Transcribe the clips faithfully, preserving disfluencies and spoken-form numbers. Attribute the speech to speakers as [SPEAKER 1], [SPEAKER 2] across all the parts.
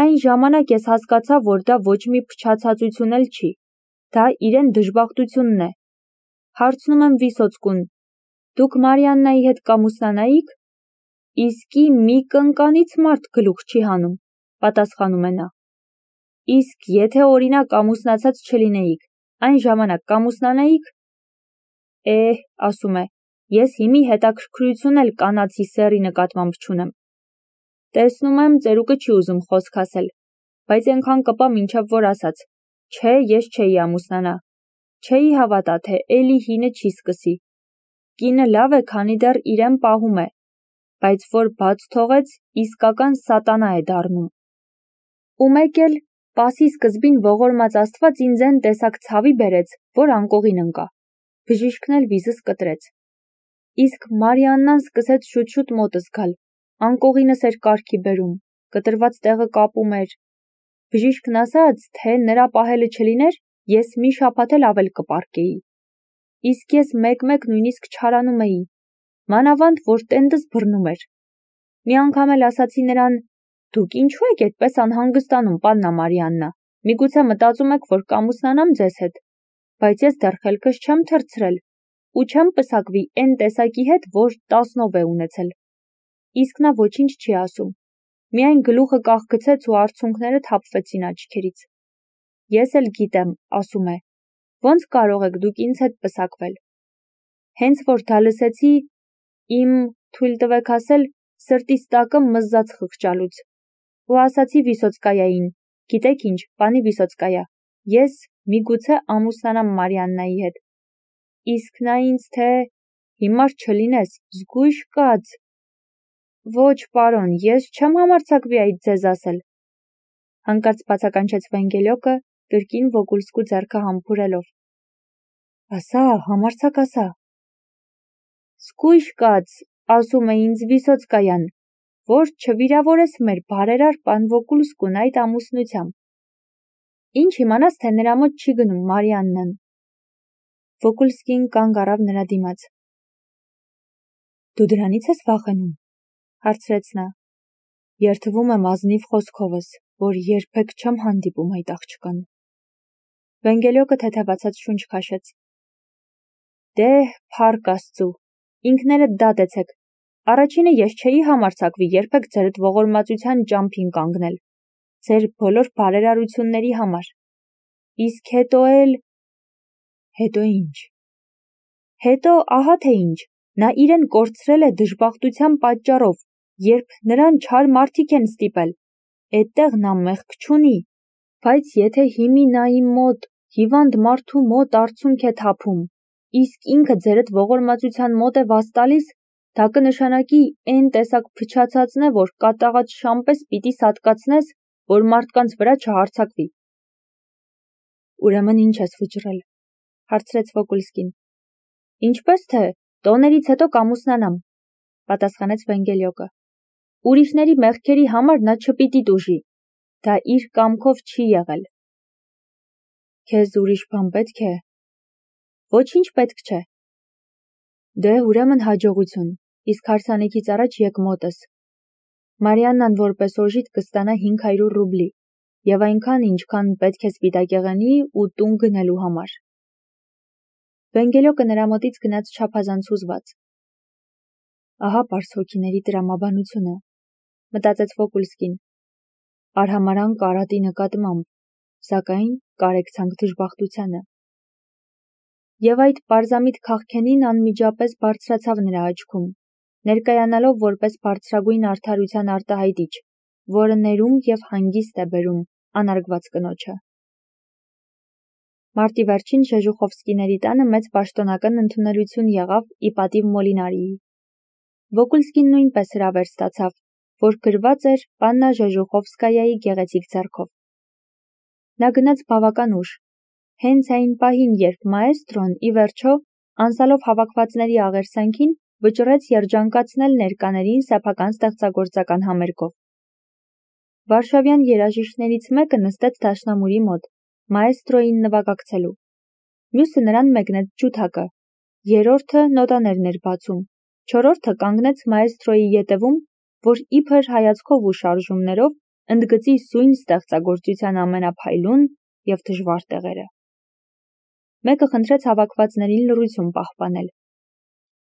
[SPEAKER 1] Այն ժամանակ ես հասկացա, որ դա ոչ մի փչացածություն էլ չի, դա իրեն դժբախտությունն է։ Հարցնում եմ Վիսոցկուն, դուք Մարիաննայի հետ կամուսնանայիք։ Իսկի մի կնկանից մարդ գլուխ չի հանում, պատասխանում է նա։ Իսկ եթե օրինակ ամուսնացած չլինեիք, այն ժամանակ կամուսնանայիք։ Էհ, ասում է, ես հիմի հետաքրքրություն էլ կանացի սեռի նկատմամբ չունեմ։ Տեսնում եմ, ծերուկը չի ուզում խոսք ասել, բայց այնքան կպա մինչև որ ասաց, չէ, ես չէի ամուսնանա, չէի հավատա, թե էլի հինը չի սկսի։ Կինը լավ է, քանի դեռ իրեն պահում է, բայց որ բաց թողեց, իսկական սատանա է դառնում։ Ու մեկ էլ, պասի սկզբին ողորմած Աստված ինձ են տեսակ ցավի բերեց, որ անկողին ընկա։ Բժիշկն էլ վիզս կտրեց։ Իսկ Մարիաննան սկսեց շուտ-շուտ մոտս գալ, անկողինս էր կարգի բերում, կտրված տեղը կապում էր։ Բժիշկն ասաց, թե նրա պահելը չլիներ, ես մի շաբաթ էլ ավել կպառկեի։ Իսկ ես մեկ-մեկ նույնիսկ չարանում էի, մանավանդ, որ տենդս բռնում էր։ Մի անգամ էլ ասացի նրան, դուք ինչու եք այդպես անհանգստանում, պաննա Մարիաննա, միգուցե մտածում եք, որ կամուսնանամ ձեզ հետ, բայց ես դեռ խելքս չեմ թռցրել ու չեմ պսակվի էն տեսակի հետ, որ տասնով է ունեցել։ Իսկ նա ոչինչ չի ասում, միայն գլուխը կախգցեց ու արցունքները թափվեցին աչքերից։ Ես էլ գիտեմ, ասում է, ոնց կարող եք դուք ինձ հետ պսակվել։ Հենց որ դա լսեցի, իմ, թույլ տվեք ասել, սրտիս տակը մզաց խղճալուց։ Ու ասացի Վիսոցկայային, գիտեք ինչ, պանի Վիսոցկայա, ես միգուցե ամուսնանամ Մարիաննայի հետ։ Իսկ նա ինձ թե հիմար չլինես, զգույշ կաց։ Ոչ, պարոն, ես չեմ համարձակվի այդ ձեզ ասել։ Հանկարծ բացականչեց Վենգելյոկը, կրկին Վոգուլսկու ձեռքը համբուրելով։ Ասա, համարձակ ասա։ Զգույշ կաց, ասում է ինձ Վիսոցկայան, որ չվիրավորես մեր բարերար պան Վոգուլսկուն այդ ամուսնությամբ։ Ինչ իմանաս, թե նրա մոտ չի գնում Մարիաննան։ Վոգուլսկին կանգ առավ նրա դիմաց։ Դու դրանից ես վախենում, հարցրեց նա։ Երդվում եմ ազնիվ խոսքովս, որ երբեք չեմ հանդիպում այդ աղջկան։ Վենգելյոկը թեթևացած շունչ քաշեց։ Դե, փառք Աստծու, ինքներդ դատեցեք։ Առաջինը ես չէի համարձակվի երբեք ձերդ ողորմածության ճամփին կանգնել, ձեր բոլոր բարերարությունների համար։ Իսկ հետո էլ… Հետո ինչ։ Հետո ահա թե ինչ, նա իրեն կորցրել է դժբախտության պատճառով, երբ նրան չար մարդիկ են ստիպել, էդտեղ նա մեղք չունի, բայց եթե հիմի նա իմ մոտ, հիվանդ մարդու մոտ արցունք է թափում, իսկ ինքը ձերդ ողորմածության մոտ է վազ տալիս, դա կնշանակի էն տեսակ փչացածն է, որ կատաղած շամպես պիտի սատկացնես, որ մարդկանց վրա չհարձակվի։ Ուրեմն ինչ ես վճռել, հարցրեց Վոգուլսկին։ Ինչպես թե, տոներից հետո կամուսնանամ, պատասխանեց Վենգելյոկը։ Ուրիշների մեղքերի համար նա չպիտի տուժի, դա իր կամքով չի եղել։ Քեզ ուրիշ բան պետք է։ Ոչինչ պետք չէ։ Դե ուրեմն հաջողություն, իսկ հարսանիքից առաջ եկ մոտս։ Մարիաննան որպես օժիտ կստանա հինգ հարյուր ռուբլի, եւ այնքան, ինչքան պետք է սպիտակեղենի ու տուն գնելու համար։ Վենգելյոկը նրա մոտից գնաց չափազանց հուզված։ Ահա պարզ հոգիների տրամաբանությունը, մտածեց Վոգուլսկին։ Արհամարհանք արատի նկատմամբ, սակայն կարեկցանք դժբախտությանը։ Եվ այդ պարզամիտ քաղքենին անմիջապես բարձրացավ նրա աչքում, ներկայանալով որպես բարձրագույն արդարության արտահայտիչ, որը ներում եւ հանգիստ է բերում անարգված կնոջը։ Մարտի վերջին Ժեժուխովսկիների տանը մեծ պաշտոնական ընդունելություն եղավ ի պատիվ Մոլինարիի։ Վոգուլսկին նույնպես հրավեր ստացավ, որ գրված էր Պաննա Ժեժուխովսկայայի գեղեցիկ ձեռքով։ Նա գնաց բավական ուշ, հենց այն պահին, երբ մաեստրոն, ի վերջո, անցալով հավաքվածների աղերսանքին, վճռեց երջանկացնել ներկաներին սեփական ստեղծագործական համերգով։ Վարշավյան երաժիշտներից մեկը նստեց դաշնամուրի մոտ, մաեստրոյին նվագակցելու։ Մյուսը նրան մեկնեց ջութակը, երրորդը նոտաներն էր բացում, չորրորդը կանգնեց մաեստրոյի ետևում, որ իբր հայացքով ու շարժումներով ընդգծի սույն ստեղծագործության ամենափայլուն և դժվար տեղերը։ Մեկը խնդրեց հավաքվածներին լռություն պահպանել։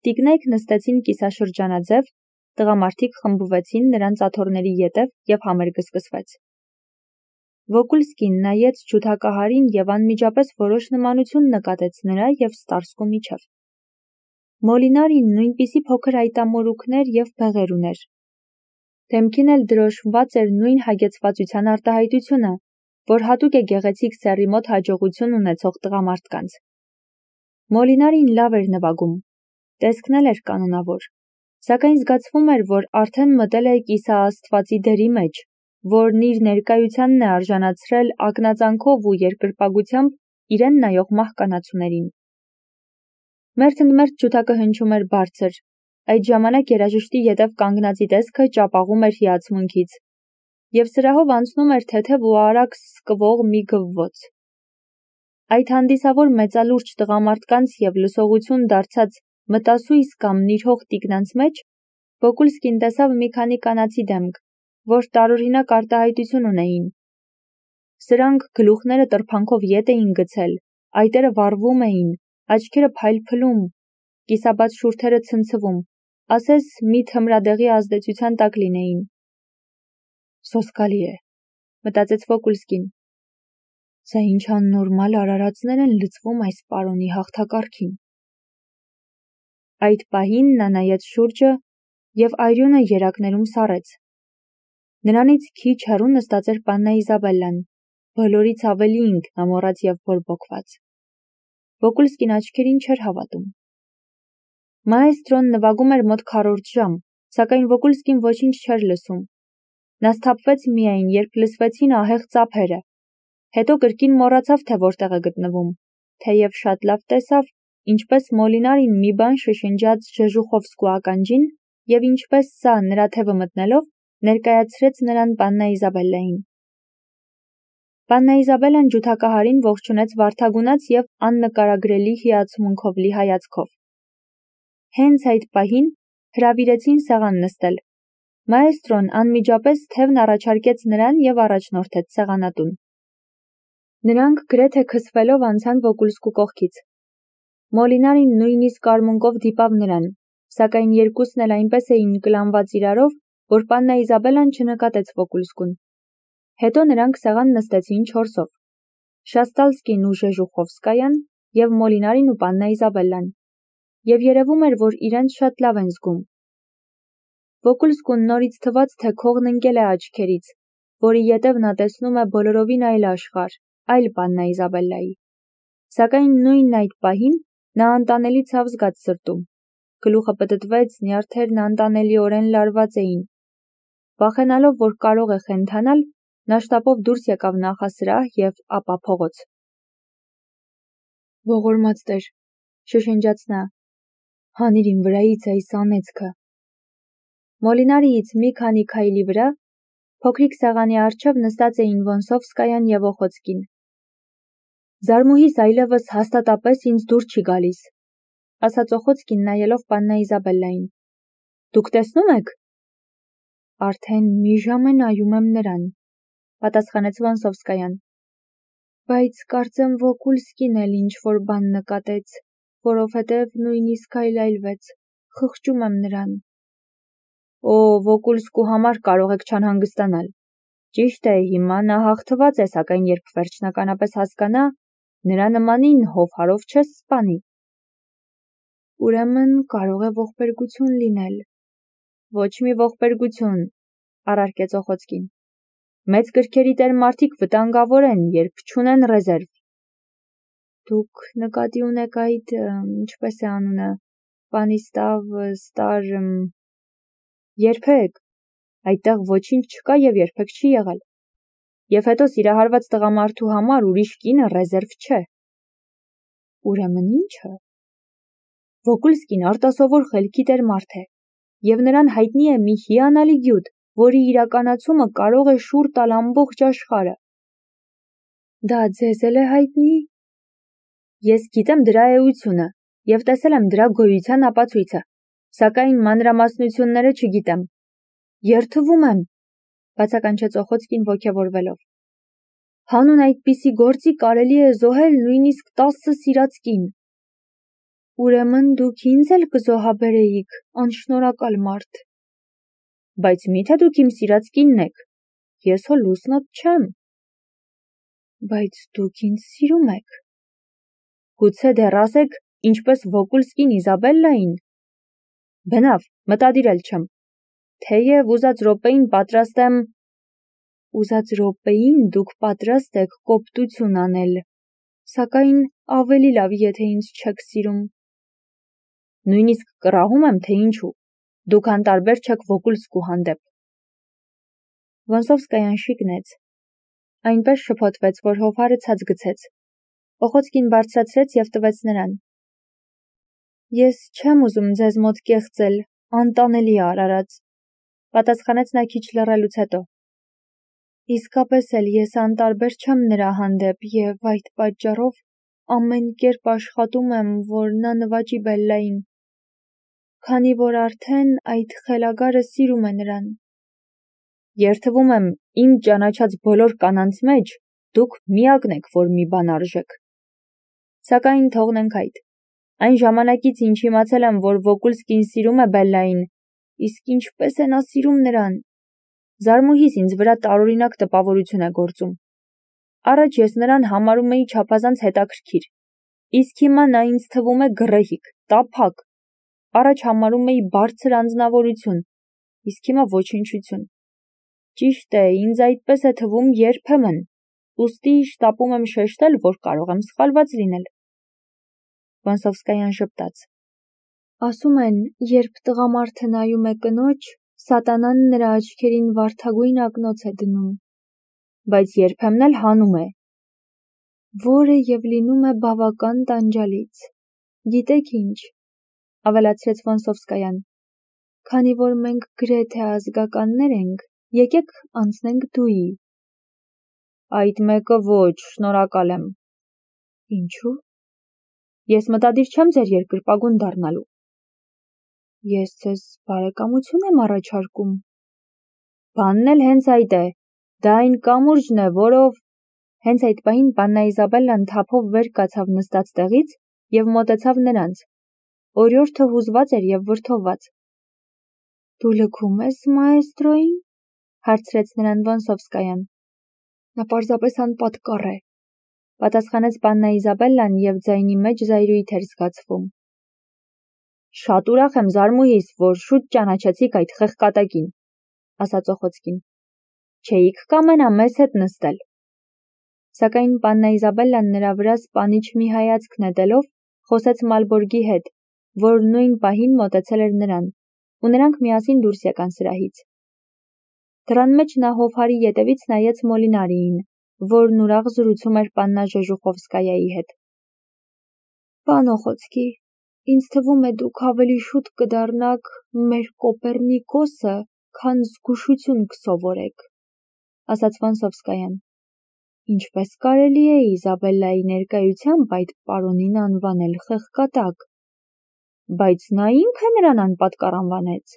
[SPEAKER 1] Տիկնայք նստեցին կիսաշրջանաձև, տղամարդիկ խմբվեցին նրանց աթոռների ետև և համերգը սկսվեց։ Վոկուլսկին նայեց ջութակահարին և անմիջապես որոշ նմանություն նկատեց նրա և Ստարսկու միջև։ Մոլինարին նույնպիսի փոքր այտամորուքներ և բեղեր ուներ։ Դեմքին էլ դրոշմված էր նույն հագեցվածության արտահայտությունը, որ հատուկ է գեղեցիկ սեռի մոտ հաջողություն ունեցող տղամարդկանց։ Մոլինարին լավ էր նվագում, տեսքն էլ էր կանոնավոր, սակայն զգացվում էր, որ արդեն մտել է կիսաաստվածի դերի մեջ, որն իր ներկայությանն է արժանացրել ակնածանքով ու երկրպագությամբ իրեն նայող մահկանացուներին։ Մերթընդմերթ ջութակը հնչում էր բարձր, այդ ժամանակ երաժշտի ետև կանգնածի տեսքը ճապաղում էր հիացմունքից, և սրահով անցնում էր թեթև ու արագ սկվող մի գվվոց։ Այդ հանդիսավոր մեծալուրջ տղամարդկանց և լսողություն դարձած մտասույս կամ նիրհող տիկնանց մեջ Վոկուլսկին տեսավ մի քանի կանացի դեմք, որ տարօրինակ արտահայտություն ունեին։ Սրանք գլուխները տրփանքով ետ էին գցել, այտերը վառվում էին, աչքերը փայլփլում, կիսաբաց շուրթերը ցնցվում, ասես մի թմրադեղի ազդեցության տակ լինեին։ Սոսկալի է, մտածեց Վոկուլսկին։ Սա ինչ աննորմալ արարածներ են լցվում այս պարոնի հաղթակարգին։ Այդ պահին նա նայեց շուրջը և այրյունը երակներում սառեց։ Նրանից քիչ հեռու նստած էր պաննա Իզաբելլան, բոլորից ավելի ինքնամոռաց և բորբոքված։ Վոկուլսկին աչքերին չէր հավատում։ Մաեստրոն նվագում էր մոտ քառորդ ժամ, սակայն Վոկուլսկին ոչինչ չէր լսում։ Նա սթափվեց միայն, երբ լսվեցին ահեղ ծափերը, հետո կրկին մոռացավ, թե որտեղ է գտնվում, թեև շատ լավ տեսավ, ինչպես Մոլինարին մի բան շշնջաց Ժեժուխովսկու ականջին և ինչպես սա, նրա թևը մտնելով, ներկայացրեց նրան պաննա Իզաբելլային։ Պաննա Իզաբելլան ջութակահարին ողջունեց վարդագունած և աննկարագրելի հիացմունքով լի հայացքով։ Հենց այդ պահին հրավիրեցին սեղան նստել։ Մաեստրոն անմիջապես թևն առաջարկեց նրան և առաջնորդեց սեղանատուն։ Նրանք գրեթե քսվելով անցան Վոկուլսկու կողքից։ Մոլինարին նույնիսկ արմունկով դիպավ նրան, սակայն երկուսն էլ այնպես էին կլանված իրարով, որ պաննա Իզաբելլան չնկատեց Վոկուլսկուն։ Հետո նրանք սեղան նստեցին չորսով. Շաստալսկին ու Ժեժուխովսկայան և Մոլինարին ու պաննա Իզաբելլան, և երևում էր, որ իրենց շատ լավ են զգում։ Վոկուլսկուն նորից թվաց, թե քողն ընկել է աչքերից, որի ետև նա տեսնում է բոլորովին այլ աշխարհ, այլ պաննա Իզաբելլայի։ Սակայն նույն այդ պահին նա անտանելի ցավ զգաց սրտում, գլուխը պտտվեց, նյարդերն անտանելիորեն լարված էին։ Վախենալով, որ կարող է խենթանալ, նա շտապով դուրս եկավ նախասրահ և ապա փողոց։ Ողորմած Տեր, շշնջաց նա, հանիր իմ վրայից այս անեծքը։ Մոլինարիից մի քանի քայլի վրա փոքրիկ սեղանի առջև նստած էին Վոնսովսկայան և Օխոցկին։ Զարմուհիս այլևս հաստատապես ինձ դուր չի գալիս, ասաց Օխոցկին նայելով պաննա Իզաբելլային։ Դուք տեսնում եք։ Արդեն մի ժամ է նայում եմ նրան, պատասխանեց Վոնսովսկայան։ Բայց կարծեմ Վոկուլսկին էլ ինչ-որ բան նկատեց, որովհետև նույնիսկ այլայլվեց, խղճում եմ նրան։ Օ, Վոկուլսկու համար կարող եք չանհանգստանալ։ Ճիշտ է, հիմա նա հաղթված է, սակայն երբ վերջնականապես հասկանա, նրա նմանին հովհարով չես սպանի։ Ուրեմն կարող է ողբերգություն լինել։ Ոչ մի ողբերգություն, առարկեց Օխոցկին։ Մեծ կրքերի տեր մարդիկ վտանգավոր են, երբ չունեն ռեզերվ։ Դուք նկատի ունեք այդ, ինչպես է անունը, Պանիստավ, Ստար… Երբեք, այդտեղ ոչինչ չկա և երբեք չի եղել։ Եվ հետո սիրահարված տղամարդու համար ուրիշ կինը ռեզերվ չէ։ Ուրեմն ի՞նչը։ Վոկուլսկին արտասովոր խելքի տեր մարդ է, և նրան հայտնի է մի հիանալի գյուտ, որի իրականացումը կարող է շուռ տալ ամբողջ աշխարհը։ Դա ձեզ էլ է հայտնի։ Ես գիտեմ դրա էությունը և տեսել եմ դրա գոյության ապացույցը, սակայն մանրամասնությունները չգիտեմ։ Երդվում եմ, Բացականչեց Օխոցկին ոգևորվելով։ Հանուն այդպիսի գործի կարելի է զոհել նույնիսկ տասը սիրած կին։ Ուրեմն դուք ինձ էլ կզոհաբերեիք, անշնորհակալ մարդ։ Բայց միթե դուք իմ սիրած կինն եք, ես հո լուսնոտ չեմ։ Բայց դուք ինձ սիրում եք։ Գուցե դեռ ասեք, ինչպես Վոկուլսկին Իզաբելլային։ Բնավ, մտադիր էլ չեմ։ Թեև ուզած րոպեին պատրաստ եմ… Ուզած րոպեին դուք պատրաստ եք կոպտություն անել, սակայն ավելի լավ, եթե ինձ չեք սիրում։ Նույնիսկ կռահում եմ, թե ինչու։ Դուք անտարբեր չեք Վոկուլսկու հանդեպ։ Վոնսովսկայան շիկնեց։ Այնպես շփոթվեց, որ հովհարը ցած գցեց։ Օխոցկին բարձրացրեց և տվեց նրան։ Ես չեմ ուզում ձեզ մոտ կեղծել, անտանելի է արարած, պատասխանեց նա քիչ լռելուց հետո։ Իսկապես էլ ես անտարբեր չեմ նրա հանդեպ և այդ պատճառով ամեն կերպ աշխատում եմ, որ նա նվաճի Բելլային, քանի որ արդեն այդ խելագարը սիրում է նրան։ Երդվում եմ, իմ ճանաչած բոլոր կանանց մեջ դուք միակն եք, որ մի բան արժեք։ Սակայն թողնենք այդ։ Այն ժամանակից, ինչ իմացել եմ, որ Վոկուլսկին սիրում է Բելլային, իսկ ինչպես է նա սիրում նրան։ Զարմուհիս ինձ վրա տարօրինակ տպավորություն է գործում։ Առաջ ես նրան համարում էի չափազանց հետաքրքիր, իսկ հիմա նա ինձ թվում է գռեհիկ, տափակ։ Առաջ համարում էի բարձր անձնավորություն, իսկ հիմա ոչնչություն։ Ճիշտ է, ինձ այդպես է թվում երբեմն, ուստի շտապում եմ շեշտել, որ կարող եմ սխալված լինել։ Վոնսովսկայան ժպտաց։ Ասում են, երբ տղամարդը նայում է կնոջ, սատանան նրա աչքերին վարդագույն ակնոց է դնում, բայց երբեմն էլ հանում է, որը և լինում է բավական տանջալից։ Գիտեք ինչ, ավելացրեց Վոնսովսկայան, քանի որ մենք գրեթե ազգականներ ենք, եկեք անցնենք դուի։ Այդ մեկը ոչ, շնորհակալ եմ։ Ինչու՞։ Ես մտադիր չեմ ձեր երկրպագուն դառնալու։ Ես ձեզ բարեկամություն եմ առաջարկում։ Բանն էլ հենց այդ է, դա այն կամուրջն է, որով… Հենց այդ պահին Պաննա Իզաբելլան թափով վեր կացավ նստած տեղից և մոտեցավ նրանց։ Օրիորդը հուզված էր և վրդովված։ Դու լքում ես մաեստրոյին, հարցրեց նրան Վոնսովսկայան։ Նա պարզապես անպատկառ է, պատասխանեց Պաննա Իզաբելլան և ձայնի մեջ զայրույթ էր զգացվում։ Շատ ուրախ եմ, զարմուհիս, որ շուտ ճանաչեցիք այդ խեղկատակին, ասաց Օխոցկին։ Չէիք կամենա մեզ հետ նստել։ Սակայն Պաննա Իզաբելլան նրա վրա սպանիչ մի հայացք նետելով, խոսեց Մալբորգի հետ, որ նույն պահին մոտեցել էր նրան, ու նրանք միասին դուրս եկան սրահից։ Դռան մեջ նա հովհարի ետևից նայեց Մոլինարիին, որն ուրախ զրուցում էր Պաննա Ժեժուխովսկայայի հետ։ Պան Օխոցկի, ինձ թվում է դուք ավելի շուտ կդառնաք մեր Կոպեռնիկոսը, քան զգուշություն կսովորեք, ասաց Վոնսովսկայան։ Ինչպես կարելի է Իզաբելլայի ներկայությամբ այդ պարոնին անվանել խեղկատակ։ Բայց նա ինքը նրան անպատկառ անվանեց։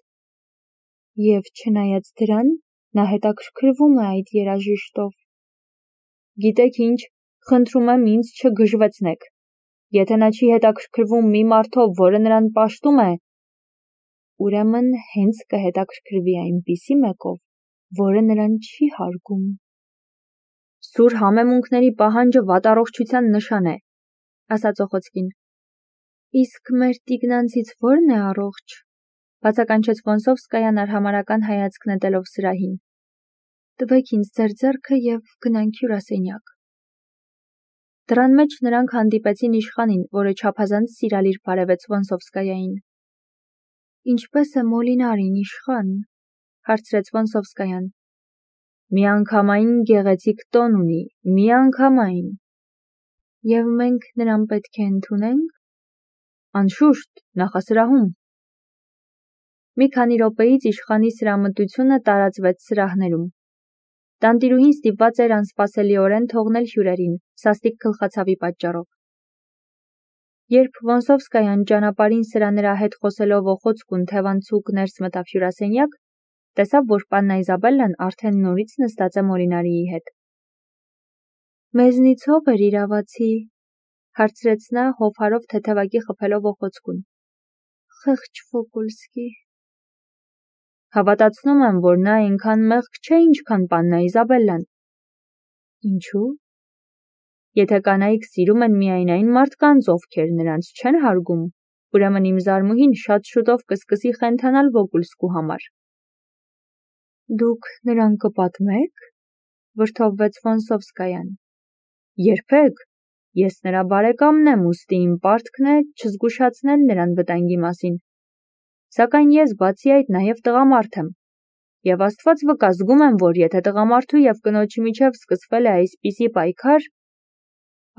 [SPEAKER 1] Եվ չնայած դրան, նա հետաքրքրվում է այդ երաժիշտով։ Գիտեք ինչ, խնդրում եմ ինձ չգժվեցնեք։ Եթե նա չի հետաքրքրվում մի մարդով, որը նրան պաշտում է, ուրեմն հենց կհետաքրքրվի այնպիսի մեկով, որը նրան չի հարգում։ Սուր համեմունքների պահանջը վատառողջության նշան է, ասաց Օխոցկին։ Իսկ մեր տիկնանցից ո՞րն է առողջ, բացականչեց Վոնսովսկայան արհամարհական հայացք նետելով սրահին։ Տվեք ինձ ձեր ձեռքը և գնանք հյուրասենյակ։ Դռան մեջ նրանք հանդիպեցին իշխանին, որը չափազանց սիրալիր բարևեց Վոնսովսկայային։ Ինչպե՞ս է Մոլինարին, իշխան, հարցրեց Վոնսովսկայան։ Միանգամայն գեղեցիկ տոն ունի, միանգամայն։ Եվ մենք նրան պետք է ընդունե՞նք։ Անշուշտ, նախասրահում։ Մի քանի րոպեից իշխանի սրամտությունը տարածվեց սրահներում։ Տանտիրուհին ստիպված էր անսպասելիորեն թողնել հյուրերին, սաստիկ գլխացավի պատճառով։ Երբ Վոնսովսկայան ճանապարհին սրա նրա հետ խոսելով Օխոցկուն թևանցուկ ներս մտավ հյուրասենյակ, Տեսավ, որ պաննա Իզաբելլան արդեն նորից նստած է Մորինարիի հետ։ Մեզնից ով էր իրավացի, հարցրեց նա հովհարով թեթևակի խփելով օխոցկուն։ Խեղճ Ֆոկոլսկի։ Հավատացնում եմ, որ նա այնքան մեղք չէ, ինչքան պաննա Իզաբելլան։ Ինչու՞։ Եթե կանայք սիրում են միայն այն մարդկանց, ովքեր նրանց չեն հարգում, ուրեմն իմ զարմուհին շատ շուտով կսկսի խենթանալ Վոկուլսկու համար։ Դուք նրան կպատմեք, վրդովվեց Ֆոնսովսկայան։ Երբեք, ես նրա բարեկամն եմ, ուստի իմ պարտքն է չզգուշացնել նրան վտանգի մասին։ Սակայն ես բացի այդ նաև տղամարդ եմ, եւ Աստված վկա, զգում եմ, որ եթե տղամարդու եւ կնոջի միջև սկսվել է այսպիսի պայքար,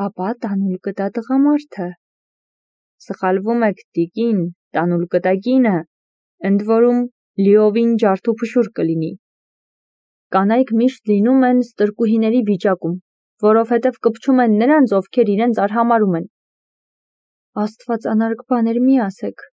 [SPEAKER 1] ապա տանուլ կտա տղամարդը։ Սխալվում եք, տիկին, տանուլ կտա կինը, ընդ որում լիովին ջարդուփշուր կլինի։ Կանայք միշտ լինում են ստրկուհիների վիճակում, որովհետև կպչում են նրանց, ովքեր իրենց արհամարհում են։ Աստված անարգ բաներ մի ասեք,